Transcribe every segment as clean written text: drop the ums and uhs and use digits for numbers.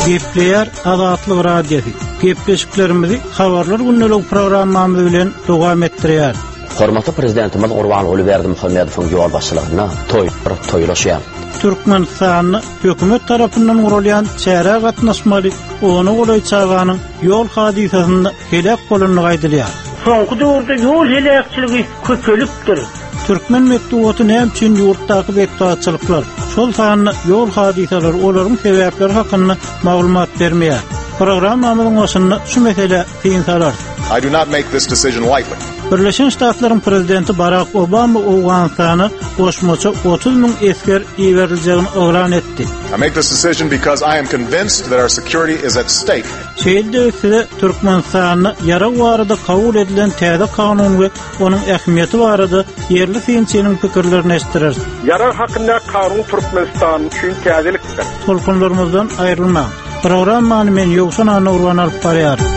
Gepleýär Azatlyk Radiosy. Gepleşiklerimizi Habarlar gündeligi programmamyz bilen dowam etdirýäris. Hormatly Prezidentimiz Gurbanguly Berdimuhamedowyň ýolbaşçylygynda toýlar toýlaşýar. Türkmenistanda hökümet tarapyndan guralýan çärä gatnaşmaly ona golaý çaganyň ýol hadysasynda heläk bolandygy aýdylýar. Soňky döwürde ýol heläkçiligi köpelipdir. Türkmen metbugaty näme üçin ýurtdaky betbagtçylyklar, şol sanda ýol hadysalary, olaryň sebäpleri hakynda maglumat bermeýär? Programmamyzyň başynda şu meselä syn salarys. I do not make this decision lightly. Birleşen Ştatlaryň prezidenti Barak Obama Owganystana goşmaça 30 müň esger iberiljegini yglan etdi. I make this decision because I am convinced that our security is at stake. Şeýle-de size Türkmenistanda ýarag barada kabul edilen täze kanun we onuň ähmiýeti barada ýerli synçynyň pikirlerini eşitdireris. Ýarag hakyndaky kanun Türkmenistan üçin täzelikdir. Tolkunlarymyzdan aýrylmaň. Programmany men Ýowşan Annagurban alyp barýaryn.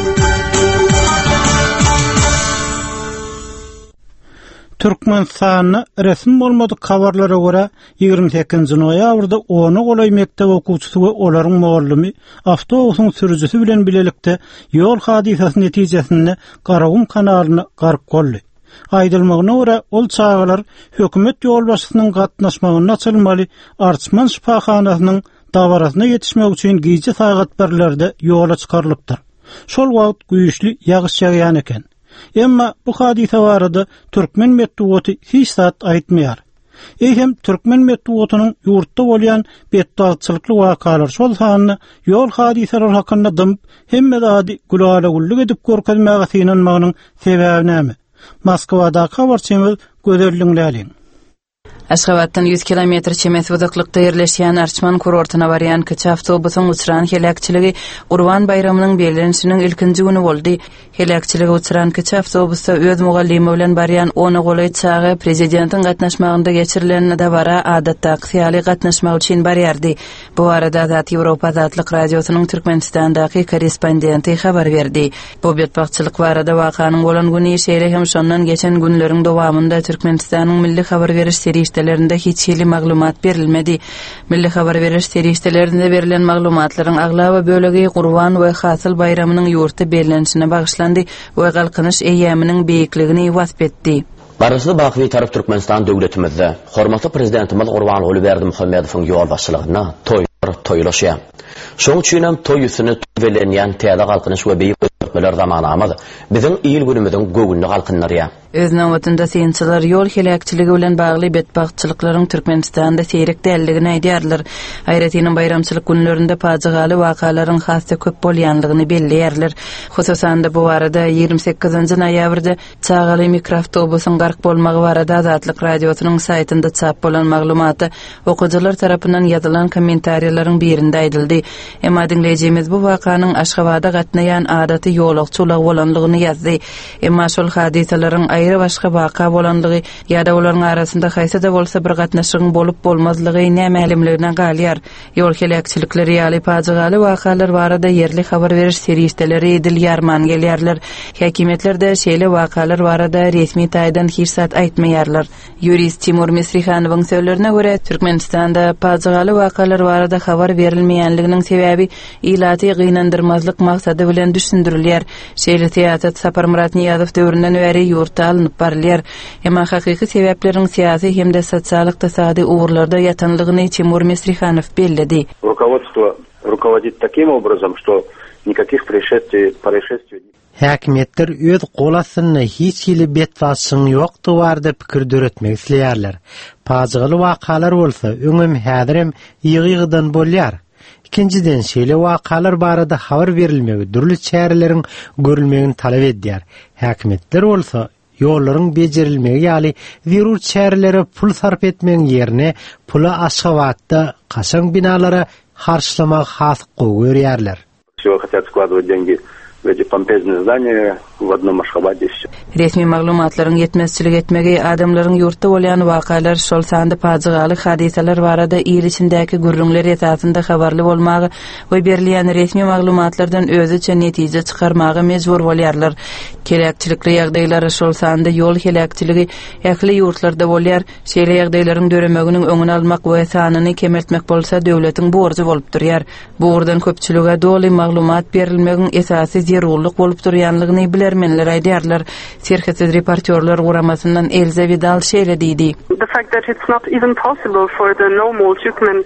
Türkmenistanda resmi bolmadyk habarlara görä, 28 noýabrda ona golaý mekdep okuwçysy we olaryň mugallymy awtobusyň sürüjisi bilen bilelikde ýol hadysasy netijesinde Garagum kanalyna gark boldy. Aýdylmagyna görä, ol çagalar hökümet ýolbaşçysynyň gatnaşmagynda açylmaly Arçman şypahanasynyň dabarasyna ýetişmek üçin gije sagat birlerde ýola çykarylypdyr. Şol wagt güýçli ýagyş ýagýan eken. Emma bu hadysa barada türkmen metbugaty hiç zat aýtmaýar. Eýsem, türkmen metbugatynyň ýurtda bolýan betbagtçylykly wakalar, şol sanda ýol hadysalary hakynda dymyp, hemme zady gülala-güllük edip görkezmäge synanmagynyň sebäbi näme? Moskwadaky habarçymyz Gözel diňläliň. Aşgabatdan 100 kilometr çemesi uzaklykda ýerleşýän Arçman kurortyna barýan kiçi awtobusyň uçran heläkçiligi Gurban baýramynyň bellenişiniň ilkinji güni boldy. Heläkçilige uçran kiçi awtobusda öz mugallymy bilen barýan ona golaý çaga prezidentiň gatnaşmagynda geçirilen dabara adatdakysy ýaly gatnaşmak üçin barýardy. Bu barada Azat Ýewropa Azatlyk Radiosynyň Türkmenistandaky korrespondenti habar berdi. Bu betbagtçylyk barada wakanyň bolan güni, şeýle hem şondan geçen günleriň dowamynda Türkmenistanyň milli habar beriş serişdelerinde hiç hili maglumat berilmedi. Milli habar beriş serişdelerinde berlen maglumatlaryň aglaba bölegi Gurban we Hasyl baýramynyň ýurtda bellenişine bagyşlandy we Galkynyş eýýamynyň beýikligini wasp etdi. Garaşsyz baky Bitarap Türkmenistan döwletimizde hormatly Prezidentimiz Gurbanguly Berdimuhamedowyň ýolbaşçylygynda toýlar toýlaşýar. Şonuň üçin hem toý üstüne toý bellenýän täze Galkynyş we beýik özgertmeler zamanamyz biziň il-günümiziň göwnüni galkyndyrýar. Öz nobatynda synçylar ýol heläkçiligi bilen bagly betbagtçylyklaryň Türkmenistanda seýrek däldigini aýdýarlar. Aýratynam baýramçylyk günlerinde pajygaly wakalaryň has-da köp bolýanlygyny belleýärler. Hususan-da bu barada 28 noýabrda çagaly mikroawtobusyň gark bolmagy barada Azatlyk Radiosynyň saýtynda çap bolan maglumatda okyjylar tarapyndan ýazylan kommentariýalaryň birinde aýdyldy. Emma diňleýjimiz bu wakanyň Aşgabada gatnaýan adaty ýolagçy ulagy bolanlygyny ýazdy. Emma şol hadysalaryň aýry-başga waka bolanlygy ýa-da olaryň arasynda haýsy-da bolsa bir gatnaşygyň bolup-bolmazlygy nämälimligine galýar. Ýol heläkçilikleri ýaly pajygaly wakalar barada ýerli habar beriş serişdeleri dil ýarman gelýärler. Häkimiýetler-de şeýle wakalar barada resmi taýdan hiç zat aýtmaýarlar. Ýurist Timur Misrihanowyň sözlerine görä, Türkmenistanda pajygaly wakalar barada habar berilmeýänliginiň sebäbi ilaty gynandyrmazlyk maksady bilen düşündirilýär. Şeýle syýasat Saparmyrat Nyýazow döwründen bäri ýurtda alnyp barylýar. Emma hakyky sebäpleriň syýasy hem-de sosial-ykdysady ugurlarda ýatanlygyny Timur Misrihanow belledi. Rukovodstvo rukovodit takim obrazom, što nikakih prešestviý, proişestviý. Häkimiýetler öz gol astynda hiç hili betbagtçylygyň ýokdugy barada pikir döretmek isleýärler. Pajygaly wakalar bolsa öňem häzirem ýygy-ýygydan bolýar. Ikinjiden, şeýle wakalar barada habar berilmegi dürli çäreleriň görülmegini talap edýär. Häkimiýetler bolsa ýollaryň bejerilmegi ýaly zerur çärelere pul sarp etmegiň ýerine puly Aşgabatda kaşaň binalara harçlamagy has gowy görýärler. Всего хотят складывать деньги. в эти помпезные здания в одном Ашхабаде все. Resmi maglumatlaryň ýetmezçilik etmegi adamlaryň ýurtda bolýan wakalar, şol sanda pajygaly hadysalar barada il içindäki gürrüňler esasynda habarly bolmaga we berilýän resmi maglumatlardan özüçe netije çykarmaga mejbur bolýarlar. Heläkçilikli ýagdaýlar, şol sanda ýol heläkçiligi ähli ýurtlarda bolýar. Şeýle ýagdaýlaryň döremeginiň öňüni almak we sanyny kemeltmek bolsa döwletiň borjy bolup durýar. Bu ugurdan köpçülige doly maglumat berilmegiň esasy zerurlyk bolup durýanlygyny bilermenler aýdýarlar. Serhetsiz reportýorlar guramasyndan Elza Widal şeýle diýdi. The fact that it's not even possible for the normal Turkmen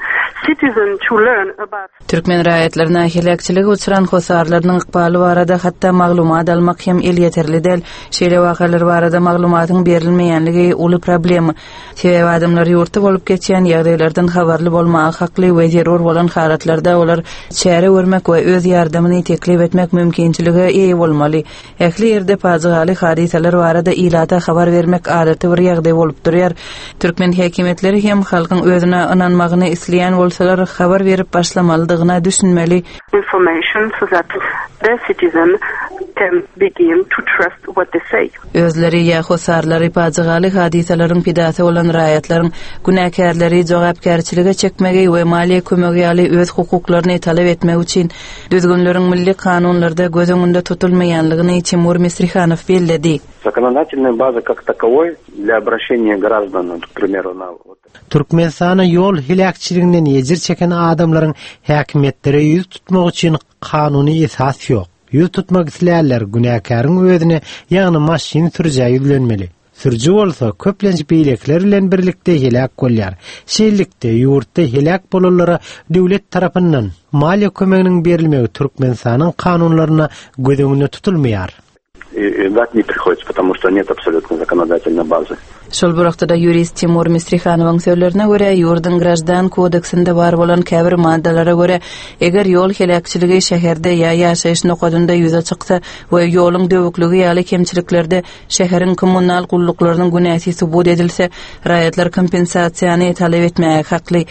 citizen to learn about. Türkmen raýatlaryna heläkçilige uçran hossarlarynyň ykbaly barada hatda maglumat almak hem elýeterli däl. Şeýle wakalar barada maglumatyň berilmeýänligi uly problema. Sebäbi adamlar ýurtda bolup geçýän ýagdaýlardan habarly bolmaga hakly we zerur bolan halatlarda olar çäre görmek we öz ýardamyny teklip etmek mümkinçilige eýe bolmaly. Ähli ýerde pajygaly hadysalar barada ilata habar bermek adaty bir ýagdaý bolup durýar. Türkmen häkimiýetleri hem halkyň özüne ynanmagyny isleýän bolsalar, habar berip başlamalydygyna düşünmeli. Information so that the citizen can begin to trust what they say. Özleri ýa hossarlary pajygaly hadysalaryň pidasy bolan raýatlaryň günäkärleri jogapkärçilige çekmegi we maliýe kömegi ýaly öz hukuklaryny talap etmegi üçin düzgünleriň milli kanunlarda göz öňünde tutulmaýanlygyny Timur Misrihanow belledi. Законодательной базы как таковой для обращения граждан, к примеру, на Türkmenistanda ýol heläkçiliginden ejir çeken adamlaryň häkimiýetlere ýüz tutmagy üçin kanuny esas ýok. Ýüz tutmak islänler günäkäriň özüne, ýagny maşyn sürüjä ýüzlenmeli. Sürüji bolsa, köplenç beýlekiler bilen birlikde heläk bolýar. Şeýlelikde, ýurtda heläk bolanlara döwlet tarapyndan maliýe kömeginiň berilmegi Türkmenistanyň kanunlarynda göz öňünde tutulmaýar. Ждать не приходится, потому что нет абсолютно законодательной базы. Şol bir wagtda-da ýurist Timur Misrihanowyň sözlerine görä, ýurduň Graždan kodeksinde bar bolan käbir maddalara görä, eger ýol heläkçiligi şäherde ýa ýaşaýyş nokadynda ýüze çyksa we ýoluň döwükligi ýaly kemçiliklerde şäheriň kommunal gulluklarynyň günäsi subut edilse, raýatlar kompensasiýany talap etmäge hakly.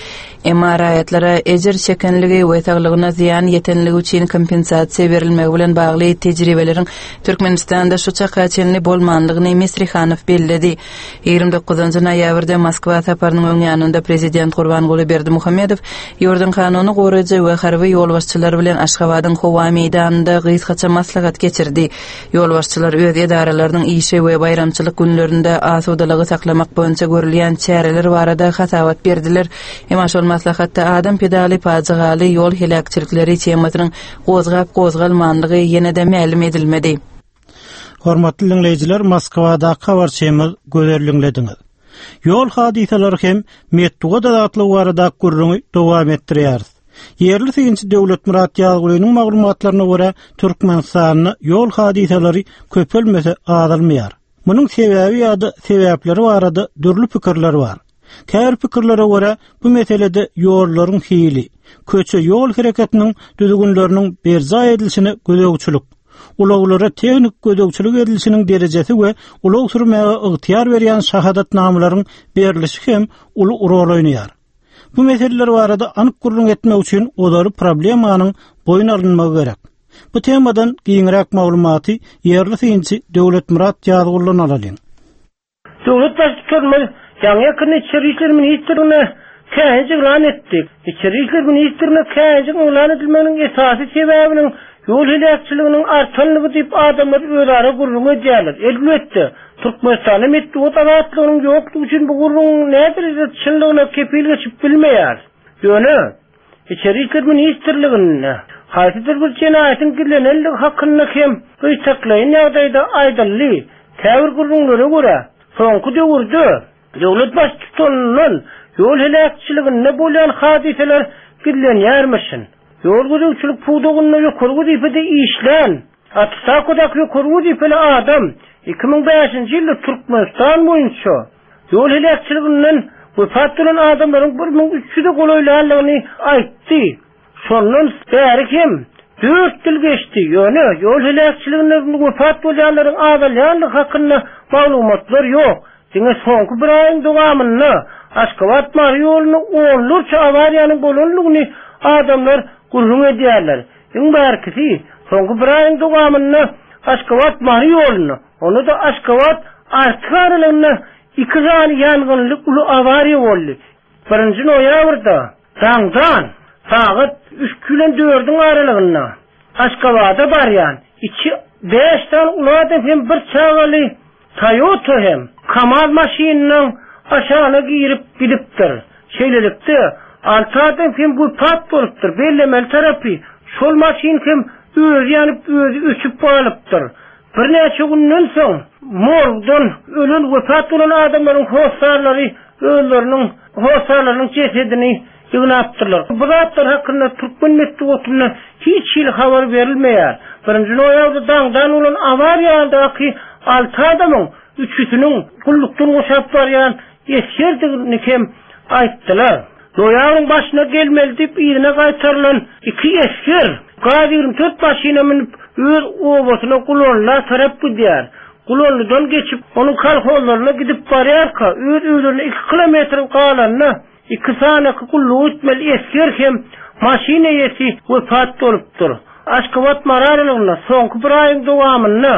Emma raýatlara ejir çekenligi we saglygyna zyýan ýetenligi üçin kompensasiýa berilmegi bilen bagly tejribeleriň Türkmenistanda şu çaka çenli bolmanlygyny Misrihanow belledi. 29 noýabrda Moskwa saparynyň öň ýanynda prezident Gurbanguly Berdimuhamedow ýurduň kanuny goraýjy we harby ýolbaşçylary bilen Aşgabadyň howa meýdanynda gysgaça maslahat geçirdi. Ýolbaşçylar öz edaralarynyň işi we baýramçylyk günlerinde asudalygy saklamak boýunça görülýän çäreler barada hasabat berdiler. Emma şol maslahatda adam pidaly pajygaly ýol heläkçilikleri temasynyň gozgap-gozgalmanlygy ýene-de mälim edilmedi. Hormatly diňleýjiler, Moskwadaky habarçymyz Gözel diňlediňiz. Ýol hadysalary hem metbugat azatlygy baradaky gürrüňi dowam etdirýäris. Ýerli synçy Döwletmyrat Ýazgulynyň maglumatlaryna görä, Türkmenistanda ýol hadysalary köpelmese azalmaýar. Munuň sebäbi ýa-da sebäpleri barada dürli pikirler bar. Käbir pikirlere görä, bu meselede ýollaryň hili, köçe-ýol hereketiniň düzgünleriniň berjaý edilişine gözegçilik, ulaglara tehnik gözegçilik edilişiniň derejesi we ulag sürmäge ygtyýar berýän şahadatnamalaryň berlişi hem uly rol oýnaýar. Bu meseleler barada anyk gürrüň etmek üçin ozaly problemanyň boýun alynmagy gerek. Bu temadan giňräk maglumaty ýerli synçy Döwletmyrat Ýazguldan alalyň. Döwlet Baştutanymyz ýaňy-ýakynda Içeri işler ministrligine käýinç yglan etdi. Içeri işler ministrligine käýinjiň yglan edilmeginiň esasy sebäbiniň ýol heläkçiliginiň artanlygy diýip adamlar özara gürrüň edýärler. Elbetde, Türkmenistanda metbugat azatlygynyň ýokdugy üçin bu gürrüňiň näderejede çynlygyna kepil geçip bilmeýäris. Ýöne, Içeri işler ministrliginde haýsydyr bir jenaýatyň gizlenendigi hakynda hem gytaklaýyn ýagdaýda aýdyldy. Käbir gürrüňlere görä, soňky döwürde döwlet baştutanyndan ýol heläkçiliginde bolýan hadysalar gizlenýärmişin. Ýol gözegçilik pudagynda ýokary wezipede işlän, otstawkadaky ýokary wezipeli adam 2005-nji ýylda Türkmenistan boýunça Ýol heläkçiliginden wepat bolan adamlaryň 1300-e golaýlandygyny aýtdy. Şondan bäri hem dört ýyl geçdi, ýöne ýol heläkçiliginde wepat bolýanlaryň azalýandygy hakynda maglumatlar ýok. Diňe soňky bir aýyň dowamynda Aşgabat-Mary ýolunda onlarça awariýanyň bolandygyny adamlar gürrüň edýärler. Iň bärkisi, Soňky bir aýyň dowamynda Aşgabat-Mary ýolunda, onda-da Aşgabat-Artyk aralygynda iki sany ýangynly uly awariýa boldy. Birinji noýabrda daňdan sagat üç bilen dördüň aralygynda Aşgabada barýan içi bäş sany uly adam hem bir çagaly Toyota hem Kamaz maşynynyň aşagyna girip gidipdir. Şeýlelikde, alty adam hem wepat bolupdyr. Bellemeli tarapy, şol maşyn hem özi ýanyp, özi öçüp galypdyr. Birnäçe günden soň, morgdan ölen, wepat bolan adamlaryň hossarlary özleriniň hossarlarynyň jesedini ýygnapdyrlar. Bu zatlar hakynda türkmen metbugatynda hiç hili habar berilmeýär. Birinji noýabrda daňdan bolan awariýadaky alty adamyň üçüsiniň gullukdan boşap barýan esgerdigini hem aýtdylar. Noýabryň başyna gelmeli diýip yzyna gaýtarylan iki esger Gaz 24 maşyna münüp öz obasyna Gulanla tarap gidýär. Gulanlydan geçip onuň kolhozlaryna gidip barýarka öz öýlerine iki kilometr galanda Iki sanyky gulluk etmeli esger hem maşyn eýesi wepat bolupdyr. Aşgabat-Mary aralygynda soňky bir aýyň dowamynda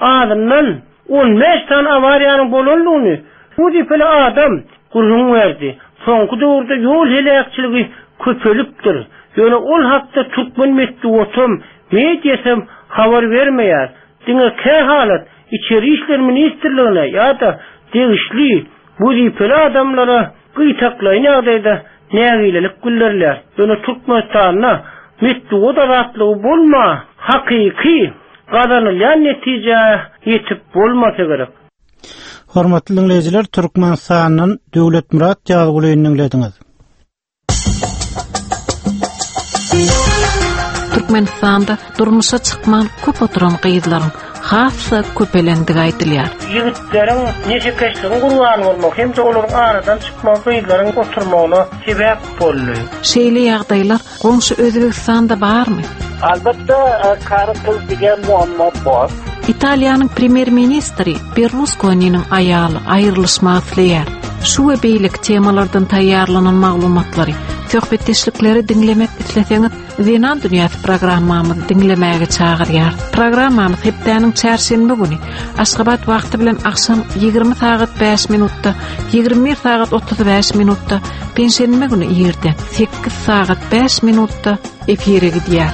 azyndan 15 sany awariýanyň bolandygyny wezipeli adam gürrüň berdi. Soňky döwürde ýol heläkçiligi köpelipdir. Ýöne ol hakda türkmen metbugatam, mediasam habar bermeýär. Diňe kähalat Içeri işler ministrligine ýa-da degişli wezipeli adamlara gytaklaýyn ýagdaýda nägilelik bildirilýär. Ýöne Türkmenistanda metbugat azatlygy bolma, hakyky gazanylýan netijä ýetip bolmasa gerek. Hormatly diňleýjiler, Türkmenistandan Döwletmyrat Ýazgulyny diňlediňiz. Türkmenistanda durmuşa çykman köp oturan gyzlaryň has-da köpelendigi aýdylýar. Ýigitleriň neşekeşligiň gurbany bolmagy hem-de olaryň aradan çykmagy gyzlaryň oturmagyna sebäp boldy. Şeýle ýagdaýlar Goňşy Özbegistanda barmy? Albatda, kary gyz diýen muammo bor. Italiýanyň premýer-ministri Berluskoniniň aýaly aýrylyşmak isleýär. Şu we beýleki temalardan taýýarlanan maglumatlary, söhbetdeşlikleri diňlemek isleseňiz, Zenan dünýäsi programmamyzy diňlemäge çagyrýar. Programmamyz hepdäniň çarşenbe güni Aşgabat wagty bilen agşam 20 sagat 5 minutda, 21 sagat 35 minutda, penşenbe güni irden 8 sagat 5 minutda efire gidýär.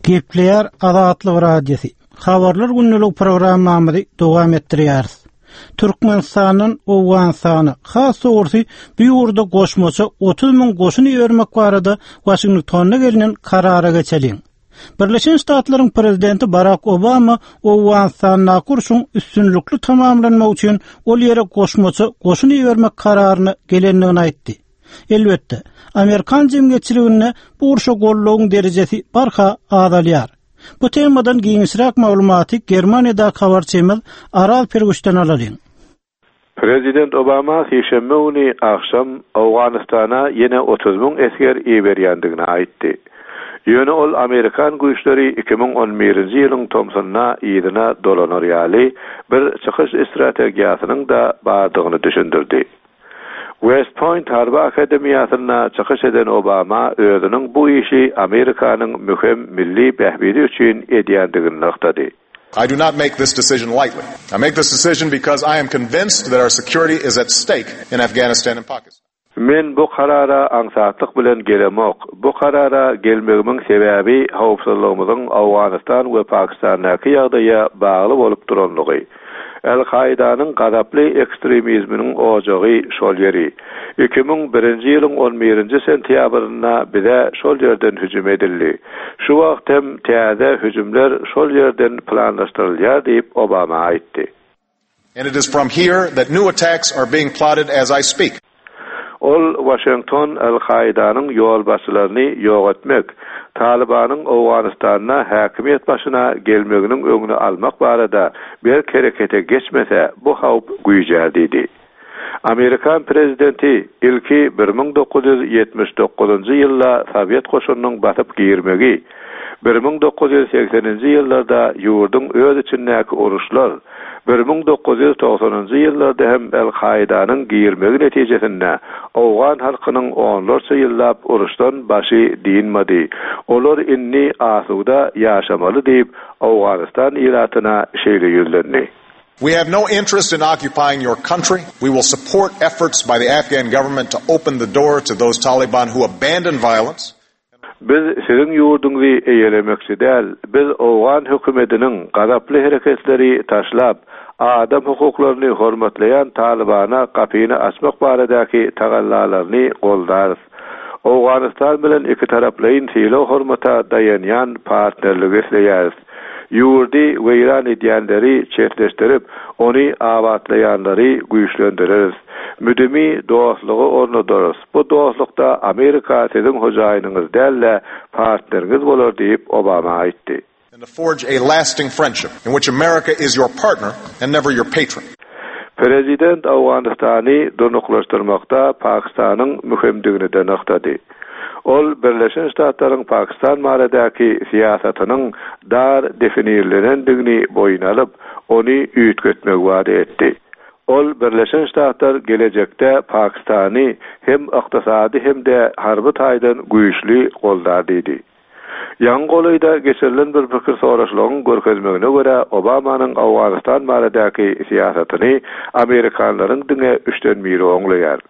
Gepleýär Azatlyk Radiosy. Habarlar gündelik programmamyzy dowam etdirýäris. Türkmenistandan Owganystana, has dogrusy bu ýurda goşmaça 30 müň goşun ibermek barada Waşingtonda gelnen karara geçeliň. Birleşen Ştatlaryň prezidenti Barak Obama Owganystandaky urşuň üstünlikli tamamlanmagy üçin ol ýere goşmaça goşun ibermek kararyna gelendigini aýtdy. Elbetde, amerikan jemgyýetçiliginde bu urşa goldawyň derejesi barha azalýar. Bu temadan giňişräk maglumaty Germaniýadaky habarçymyz Araz Pirguçdan alalyň. Prezident Obama sişenbe güni agşam Owganystana ýene 30 müň esger iberýändigini aýtdy. Ýöne ol amerikan güýçleri 2011-nji ýylyň tomsunda yzyna dolanar ýaly bir çykyş strategiýasynyň-da bardygyny düşündirdi. West Point harby akademiýasynda çykyş eden Obama özüniň bu işi Amerikanyň möhüm milli bähbidi üçin edýändigini nygtady. I do not make this decision lightly. I make this decision because I am convinced that our security is at stake in Afghanistan and Pakistan. Men bu karara aňsatlyk bilen gelemok. Bu karara gelmegimiň sebäbi howpsuzlygymyzyň Owganystan we Pakistandaky ýagdaýa bagly bolup duranlygy. Al-Kaidanyň gazaply ekstremizminiň ojagy şol ýeri. 2001-nji ýylyň on birinji sentýabrynda bize şol ýerden hüjüm edildi. Şu wagt hem täze hüjümler şol ýerden planlaşdyrylýar diýip, Obama aýtdy. And it is from here that new attacks are being plotted as I speak. Ol Waşington Al-Kaidanyň ýolbaşçylaryny ýok etmek, Talybanyň Owganystanda häkimiýet başyna gelmeginiň öňüni almak barada berk herekete geçmese, bu howp güýjär diýdi. Amerikan prezidenti ilki 1979-njy ýylda sowet goşunynyň basyp girmegi, 1980-nji ýyllarda ýurduň öz içindäki uruşlar, 1990-njy ýyllarda hem El-Kaidanyň girmegi netijesinde owgan halkynyň onlarça ýyllap uruşdan başy dynmady. Olar indi asuda ýaşamaly diýip, Owganystan ilatyna şeýle ýüzlendi. We have no interest in occupying your country. We will support efforts by the Afghan government to open the door to those Taliban who abandon violence. Biz siziň ýurduňyzy eýelemekçi däl, biz owgan hökümediniň gazaply hereketleri taşlap, adam hukuklaryny hormatlaýan Talybana gapyny açmak baradaky tagallalaryny goldarys. Owganystan bilen ikitaraplaýyn sylag-hormata daýanýan partnerligi isleýäris. Ýurdy weýran edýänleri çetleşdirip, ony abatlaýanlary güýçlendireris. Müdimi dostlugy ornadarys. Bu dostlukda Amerika siziň hojaýynyňyz däl-de, partneriňiz bolar diýip, Obama aýtdy. And to forge a lasting friendship in which America is your partner and never your patron. Prezident Owganystany durnuklaşdyrmakda Pakistanyň möhümdigini-de nygtady. Ol Birleşen Ştatlaryň Pakistan baradaky syýasatynyň dar definirlenendigini boýun alyp, ony üýtgetmegi wada etdi. Ol Birleşen Ştatlar gelejekde Pakistany hem ykdysady hem-de harby taýdan güýçli goldar diýdi. Ýaňy golaýda geçirilen bir pikir soraşlygyň görkezmegine görä, Obamanyň Owganystan baradaky syýasatyny amerikanlaryň diňe üçden biri oňlaýar.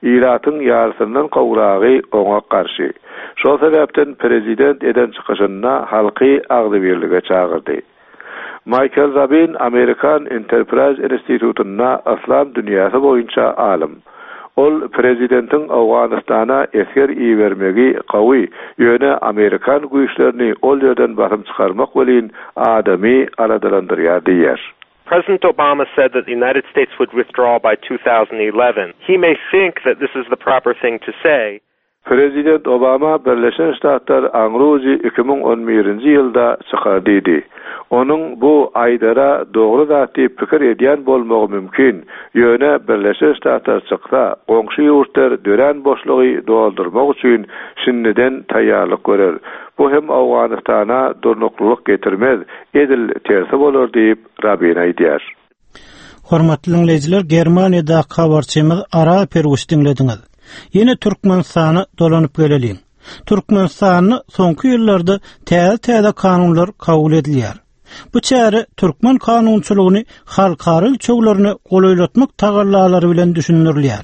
Ilatyň ýarysyndan gowragy oňa garşy. Şol sebäpden prezident eden çykyşynda halky agzybirlige çagyrdy. Maýkel Rabin Amerikan Enterpraýz institutynda yslam dünýäsi boýunça alym. Ol prezidentiň Owganystana esger ibermegi gowy, ýöne amerikan güýçlerini ol ýerden basym çykarmak welin adamy aladalandyrýar diýýär. President Obama said that the United States would withdraw by 2011. He may think that this is the proper thing to say. Prezident Obama Birleşen Ştatlar aňrujy 2011-nji ýylda çykar diýdi. Onuň bu aýdara dogry zat diýip pikir edýän bolmagy mümkin, ýöne Birleşen Ştatlar çyksa, goňşy ýurtlar dörän boşlugy doldurmak üçin şindiden taýýarlyk görer. Bu hem Owganystana durnuklylyk getirmez, edil tersi bolar diýip, Rabin aýdýar. Hormatly diňleýjiler, Germaniýadaky habarçymyz Araz Perwiş diňlediňiz. Ýene Türkmenistana dolanyp geleliň. Türkmenistanda soňky ýyllarda täze-täze kanunlar kabul edilýär. Bu çäre türkmen kanunçylygyny halkara ölçeglerine golaýlatmak tagallalary bilen düşündirilýär.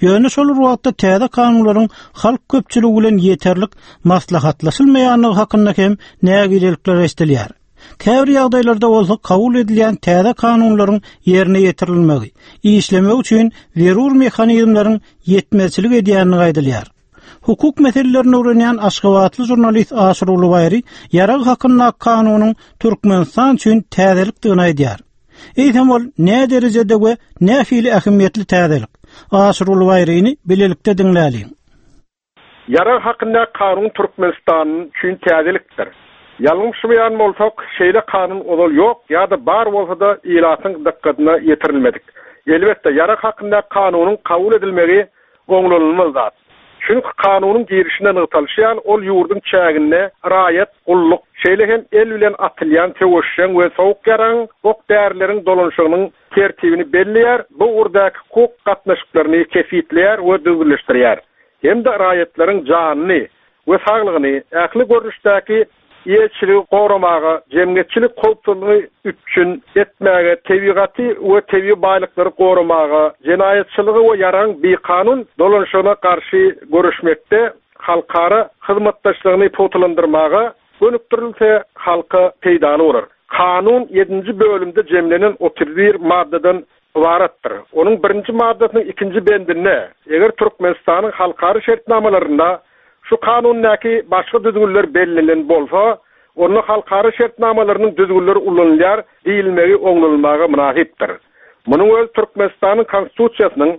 Ýöne şol bir wagtda täze kanunlaryň halk köpçüligi bilen ýeterlik maslahatlaşylmaýandygy hakynda hem nägilelikler eşidilýär. Käbir ýagdaýlarda bolsa kabul edilýän täze kanunlaryň ýerine ýetirilmegi, işlemegi üçin zerur mehanizmleriň ýetmezçilik edýändigi aýdylýar. Hukuk meselelerini öwrenýän aşgabatly žurnalist Aşyrguly Baýry ýarag hakyndaky kanunyň Türkmenistan üçin täzelikdigini aýdýar. Eýsem ol näderejede we nähili ähmiýetli täzelik? Aşyrguly Baýryny bilelikde diňläliň. Ýarag hakyndaky kanun Türkmenistan üçin täzelikdir. Ýalňyşmaýan bolsak, şeýle kanun ozal ýok ýa-da bar bolsa-da ilatyň dykgatyna ýetirilmedik. Elbetde, ýarag hakyndaky kanunyň kabul edilmegi oňlanylmaly zat. Çünki kanunyň girişinde nygtalyşy ýaly, ol ýurduň çäginde raýat, gulluk, şeýle hem el bilen atylýan söweşjeň we sowuk ýaragyň, ok-därileriň dolanyşygynyň tertibini belleýär, bu ugurdaky hukuk gatnaşyklaryny kesgitleýär we düzgünleşdirýär hem-de raýatlaryň janyny we saglygyny, ähli görnüşdäki eýeçiligi goramaga, jemgyýetçilik howpsuzlygyny üpjün etmäge, tebigaty we tebigy baýlyklary goramaga, jenaýatçylyga we ýaragyň bikanun dolanyşygyna garşy göreşmekde halkara hyzmatdaşlygyny pugtalandyrmaga gönükdirilse, halka peýdaly bolar. Kanun ýedinji bölümde jemlenen 31 maddadan ybaratdyr. Onuň birinji maddasynyň ikinji bendinde, eger Türkmenistanyň halkara şertnamalarynda şu Kanundaky başga düzgünler bellenilen bolsa, onda halkara şertnamalarynyň düzgünleri ulanylýar diýilmegi oňlanylmaga mynasypdyr. Munuň özi Türkmenistanyň Konstitusiýasynyň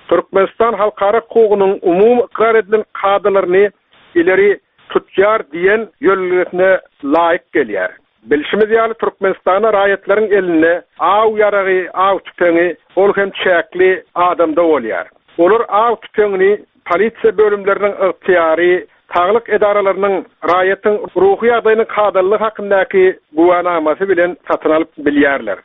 Türkmenistan halkara hukugynyň umumy ykrar edilen kadalaryny ileri tutýar diýen ýörelgesine laýyk gelýär. Bilşimiz ýaly, Türkmenistanda raýatlaryň elinde aw ýaragy, aw tüpeňi, ol hem çäkli adamda bolýar. Olar aw tüpeňini polisiýa bölümleriniň ygtyýary, saglyk edaralarynyň raýatyň ruhy ýagdaýynyň kadalylygy hakyndaky güwänamasy bilen satyn alyp bilýärler.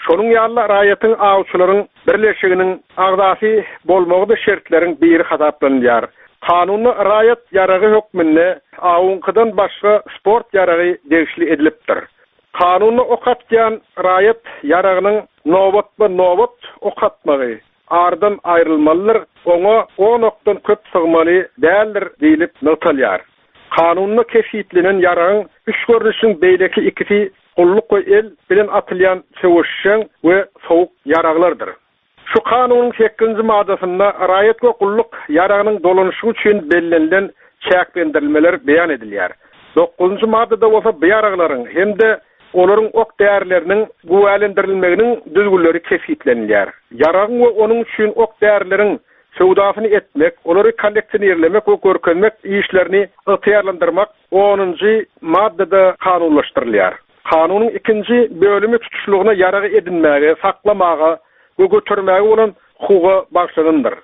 Şonuň ýaly-da raýatyň awçylaryň birleşiginiň agzasy bolmagy-da şertleriň biri hasaplanylýar. Kanunda raýat ýaragy hökmünde awuňkydan başga sport ýaragy degişli edilipdir. Kanunda ok atýan raýat ýaragynyň nobatma-nobat ok atmagy aradan aýrylmalydyr, oňa on okdan köp sygmaly däldir diýlip nygtalýar. Kanunda kesgitlenen ýaragyň üç görnüşiniň beýleki ikisi gulluk we el bilen atylýan söweşjeň we sowuk ýaraglardyr. Şu Kanunyň sekizinji maddasynda raýat we gulluk ýaragynyň dolanyşygy üçin bellenilen çäklendirilmeler beýan edilýär. Dokuzynjy maddada bolsa bu ýaraglaryň hem-de olaryň ok-därileriniň güwälendirilmeginiň düzgünleri kesgitlenilýär. Ýaragyň we onuň üçin ok-därileriň söwdasyny etmek, olary kolleksionirlemek we görkezmek işlerini ygtyýarlandyrmak onunjy maddada kanunlaşdyrylýar. Kanunyň ikinji bölümi tutuşlygyna ýaragy edinmäge, saklamaga we götermäge bolan hukuga bagyşlanandyr.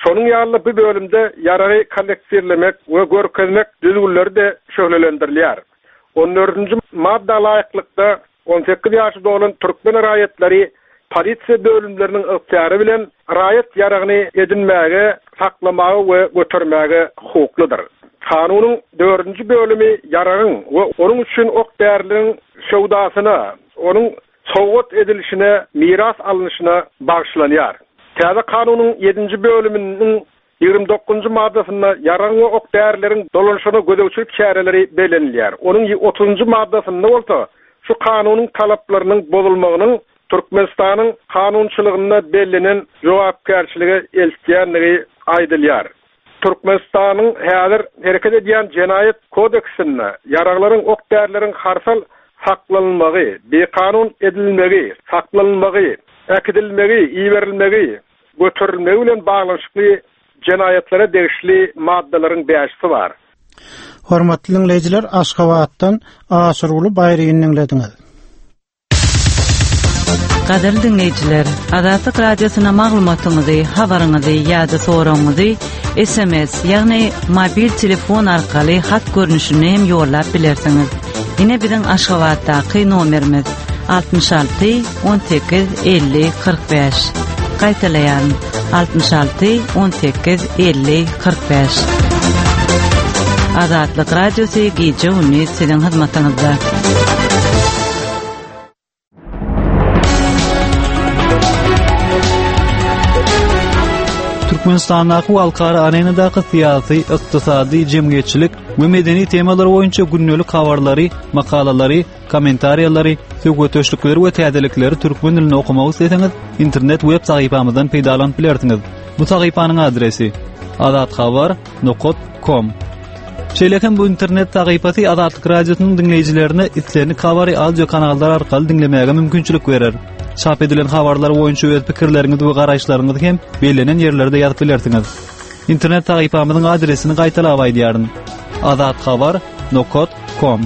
Şonuň ýaly-da bu bölümde ýaragy kolleksionirlemek we görkezmek düzgünleri-de şöhlelendirilýär. On dördünji madda laýyklykda, 18 ýaşy dolan türkmen raýatlary polisiýa bölümleriniň ygtyýary bilen raýat ýaragyny edinmäge, saklamaga we götermäge hukuklydyr. Kanunyň dördünji bölümi ýaragyň we onuň üçin ok-därileriň söwdasyna, onuň sowgat edilişine, miras alnyşyna bagyşlanýar. Täze Kanunyň ýedinji bölüminiň 29-njy maddasynda ýaragyň we ok-därileriň dolanyşygyna gözegçilik çäreleri bellenilýär. Onuň otuzynjy maddasynda bolsa şu Kanunyň talaplarynyň bozulmagynyň Türkmenistanyň kanunçylygynda bellenen jogapkärçilige eltýändigi aýdylýar. Türkmenistanyň häzir hereket edýän Jenaýat kodeksinde ýaraglaryň, ok-därileriň harsal saklanylmagy, bikanun edinilmegi, saklanylmagy, äkidilmegi, iberilmegi, göterilmegi bilen baglanyşykly jenaýatlara degişli maddalaryň bäşisi bar. Hormatly diňleýjiler, Aşgabatdan Aşyrguly Baýryny diňlediňiz. Gadyrly diňleýjiler, Azatlyk Radiosyna maglumatyňyzy, habaryňyzy ýa-da soragyňyzy SMS, ýagny mobil telefon arkaly hat görnüşinde hem ýollap bilersiňiz. Ine biziň Aşgabatdaky nomerimiz, 66 18 50 45. Gaýtalaýaryn, 66 18 50 45. Azatlyk Radiosy gije-gündiz siziň hyzmatyňyzda. Türkmenistandaky we halkara arenadaky syýasy, ykdysady, jemgyýetçilik we medeni temalar boýunça gündelik habarlary, makalalary, kommentariýalary, söhbetdeşlikleri we täzelikleri türkmen dilinde okamak isleseňiz, internet web sahypamyzdan peýdalanyp bilersiňiz. Bu sahypanyň adresi: azathabar.com. Şeýle hem bu internet sahypasy Azatlyk Radiosynyň diňleýjilerine islendik habary audio kanallar arkaly diňlemäge mümkinçilik berer. Çap edilen habarlar boýunça öz pikirleriňizi we garaýyşlaryňyzy hem bellenen ýerlerde ýazyp bilersiňiz. Internet sahypamyzyň adresini gaýtalap aýdýaryn. azathabar.com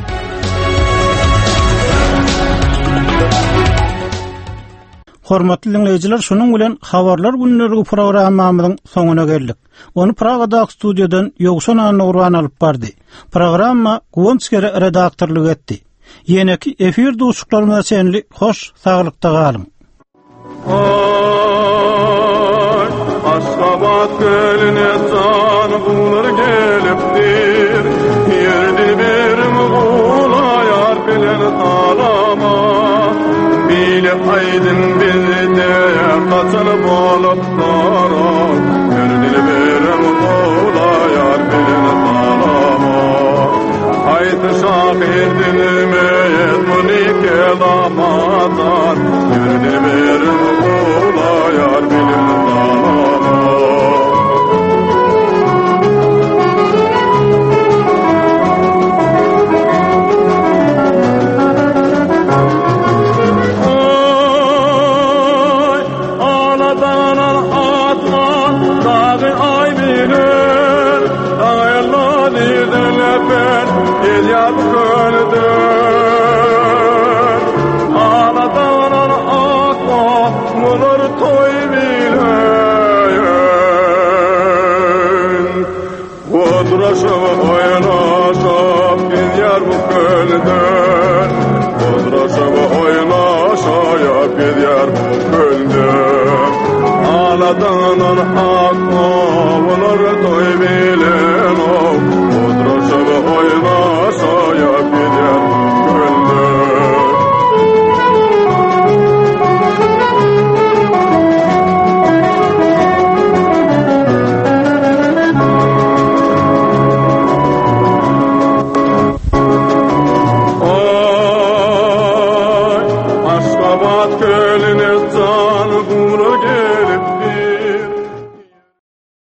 Hormatly diňleýjiler, şunuň bilen Habarlar gündeligi programmamyzyň soňuna geldik. Ony Pragadaky studiýadan Ýowşan Annagurban alyp bardy. Programma Guwanç Gere redaktorlyk etdi. Ýeneki efir duşuşyklarymyza çenli hoş saglykda galyň. Aý, Aşgabat kölüne jan guwlar gelipdir. Ýerdi birim gulaýar bilen salama. Bile aýdym bizde gaçan bolupdyr. Ýerdi birim gulaýar bilen salama. Haýsy şahyr düzmez muny kelamadan Ýerde berin gulaýar bilen salama. Aý, aladanan atlan dagy aý bilen, Aýla nirden öpen gelýär bu kölden. Aladanan atlan mular toý bilen. Odraşyp oýnaşyp gelýär bu kölden. Odraşyp oýnaşyp gelýär. Akma bolar toý bilen Oturyşyp oýnaşaýak.